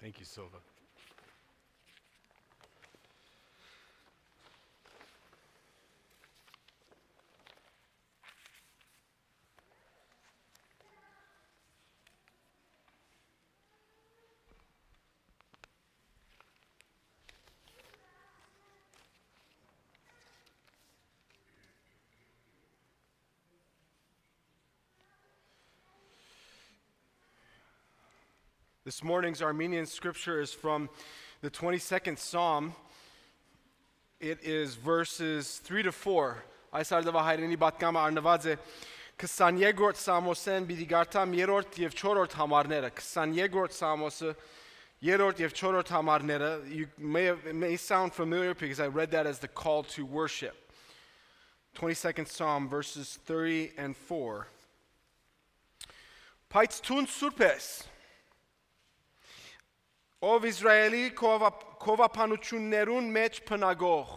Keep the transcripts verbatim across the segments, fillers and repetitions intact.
Thank you, Silva. This morning's Armenian scripture is from the twenty-second Psalm. It is verses three to four. Այս արդավա հայրենի բատկամը արնված է քսաներորդ Սամոսեն պիտի գարտամ երրորդ եւ չորրորդ համարները. քսաներորդ Սամոսը երրորդ եւ չորրորդ համարները. You may have, it may sound familiar because I read that as the call to worship. twenty-second Psalm verses three and four. Բայց տուն սուրբ ես, ով Իսրայելի քովափանություններուն մեջ փնագող,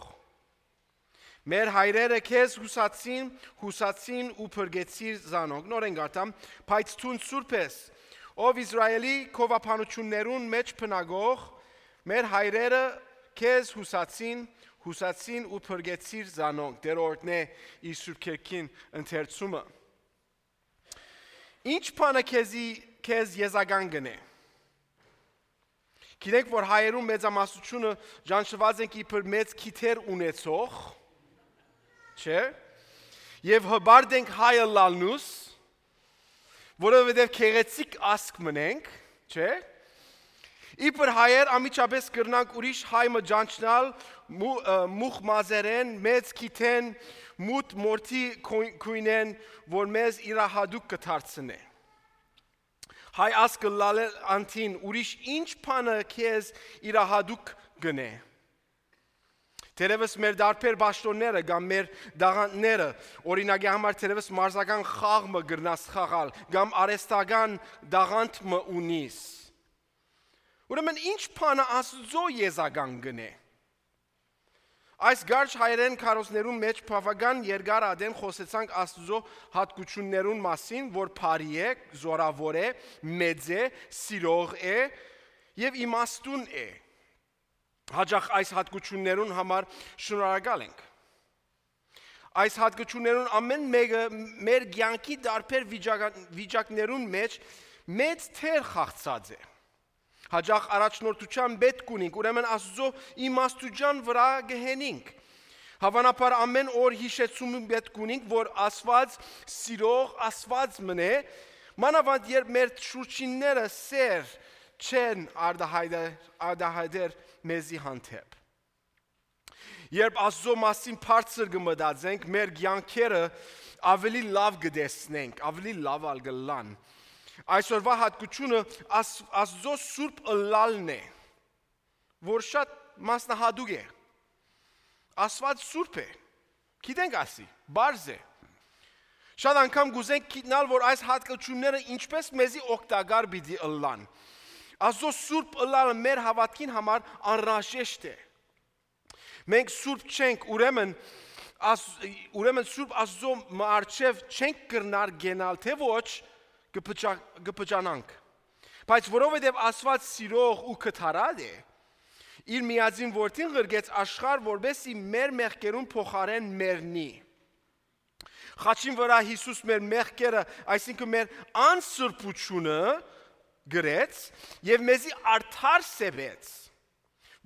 մեր հայրերը քեզ հուսացին, հուսացին ու փրկեցիր զանոք. Նորեն գարտամ, բայց տուն սուրբ ես, ով Իսրայելի քովափանություններուն մեջ փնագող, մեր հայրերը քեզ հուսացին, հուսացին ու փրկեցիր զանոք. Դերորդն է իր սուրբ քերքին ընթերցումը. Ինչ բանը քեզի քեզ եզական գնե. Գիտենք, որ հայերում մեծամասնությունը ճանաչված ենք իբր մեծ քիթեր ունեցող, չէ՞, եւ հբարդ ենք հայը լալնուս, որովհետեւ քեղեցիկ ասկ մնենք, չէ՞։ Իբր հայեր ամիջապես կրնանք ուրիշ հայ մջանչնալ, մուխ մազերեն, մեծ քիթեն, մութ մորթի քույնեն, որ մեզ իրահադուկ կդարձնե. Հայ ասկը լալել անտին ուրիշ ինչ բանը քեզ իրահադուկ գնե. Թերևս մեր դարբեր բաշտոնները կամ մեր դաղանտները, օրինակի համար թերևս մարզական խաղը գրնաս խաղալ, կամ արեստական դաղանտը ունիս. Ուրեմն ինչ բանը Աստծո եզական գնե. Այս գարչ հայերեն քարոզներուն մեջ բավական երկար ադեն խոսեցանք Աստծո հատկություններուն մասին, որ բարի է, զորավոր է, մեծ է, սիրող է եւ իմաստուն է. Հաճախ այս հատկություններուն համար շնորհակալ ենք. Այս հատկություններուն ամեն մեկը մեր կյանքի դարբեր վիճակներուն մեջ մեծ թեր խաղացած է. Հաճախ առաջնորդության պետք ունենք, ուրեմն Աստծո իմաստության վրա գհենինք. Հավանաբար ամեն օր հիշեցում պետք ունենք, որ Աստված սիրող Աստված մնե, մանավանդ երբ մեր շուրջինները սեր չեն արդահայտեր մեզի հանդեպ. Երբ Աստծո մասին բարձր կմտածենք, մեր կյանքերը ավելի լավ կտեսնենք, ավելի լավ ալգլան. Այսօրվա հատկությունը Աստծո սուրբ ըլլալն է, որ շատ մասնահատուկ է. Աստված սուրբ է, գիտենք ասի, բարձ է. Շատ անգամ գուզենք գիտնալ, որ այս հատկությունները ինչպես մեզի օգտակար պիտի ըլլան. Աստծո սուրբ ըլլալը մեր հավատքին համար անհրաժեշտ է. Մենք սուրբ չենք, ուրեմն ուրեմն սուրբ Աստծո մառչև չենք կրնար գենալ, թե ոչ կպճանանք. Բայց որովհետև Աստված սիրող ու կթարած է, իր միածին որդին ղրգեց աշխարհ, որպեսզի մեր մեղքերուն փոխարեն մեռնի. Խաչին վրա Հիսուս մեր մեղքերը, այսինքն մեր անսրբությունը գրեց եւ մեզի արդար սեվեց,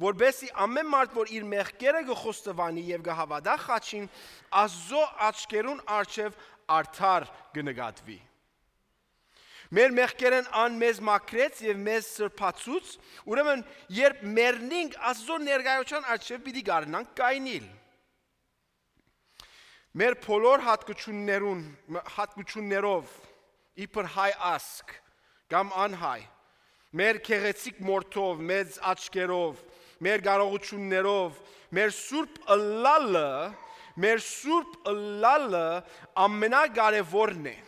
որպեսզի ամեն մարդ, որ իր մեղքերը կխոստովանի եւ կհավատա խաչին, Աստծո աչքերուն առջև արդար կնկատվի. Մեր մեղքերն անմեզ մաքրեց եւ մեզ սրբացուց, ուրեմն երբ մեռնենք Աստծո ներկայության առջև պիտի գարնանք կայնիլ. Մեր բոլոր հատկություններուն հատկություններով իբր հայ ասկ կամ անհայ, մեր քեղեցիկ մորթով, մեծ աչքերով, մեր կարողություններով, մեր սուրբ ըլլալը, մեր սուրբ ըլլալը ամենակարևորն է.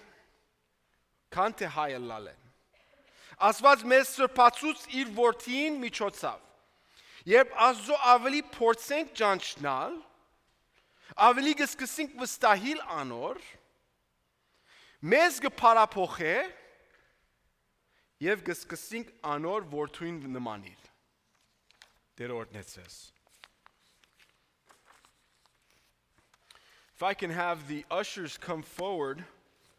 Քան թե հայ ըլլալը. Աստված մեզ սրբացուց իր որդին միջոցով. Երբ Աստծո ավելի փորձենք ճանչնալ, ավելի կսկսենք վստահիլ անոր, մեզ կփարափոխե Եվ կսկսենք անոր որդուին նմանիլ։ Դեր օրհնեցես։ If I can have the ushers come forward.